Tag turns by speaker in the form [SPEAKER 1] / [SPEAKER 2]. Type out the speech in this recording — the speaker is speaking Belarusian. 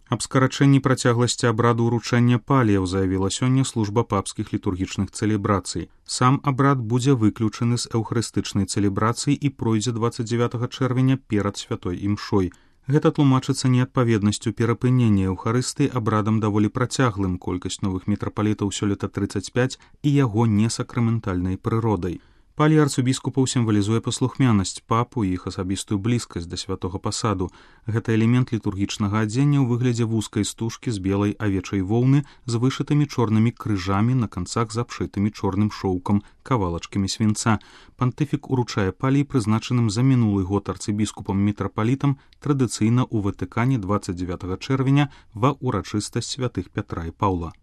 [SPEAKER 1] Аб скарачэнні працягласці абраду ўручэння паліяў заявіла сёння служба папскіх літургічных цэлебрацый. Сам абрад будзе выключаны з эўхарыстычнай цэлебрацыі і пройдзе 29 чэрвеня перад святой імшой. Гэта тлумачыцца неадпаведнасцю перапынення эўхарыстыі абрадам даволі працяглым, колькасць новых мітрапалітаў сёлета 35 і яго несакраментальнай прыродай. Палій арцыбіскупаў сімвалізуе паслухмянасць папу і іх асабістую блізкасць да святога пасаду. Гэта элемент літургічнага адзення ў выглядзе вузкай стужкі з белай авечай воўны з вышытымі чорнымі крыжамі на канцах з абшытымі чорным шоўкам, кавалачкамі свінца. Пантыфік уручае палій, прызначаным за мінулы год арцыбіскупам-мітрапалітам, традыцыйна ў Ватыкане 29 чэрвеня ва ўрачыстасць святых Пятра і Паўла.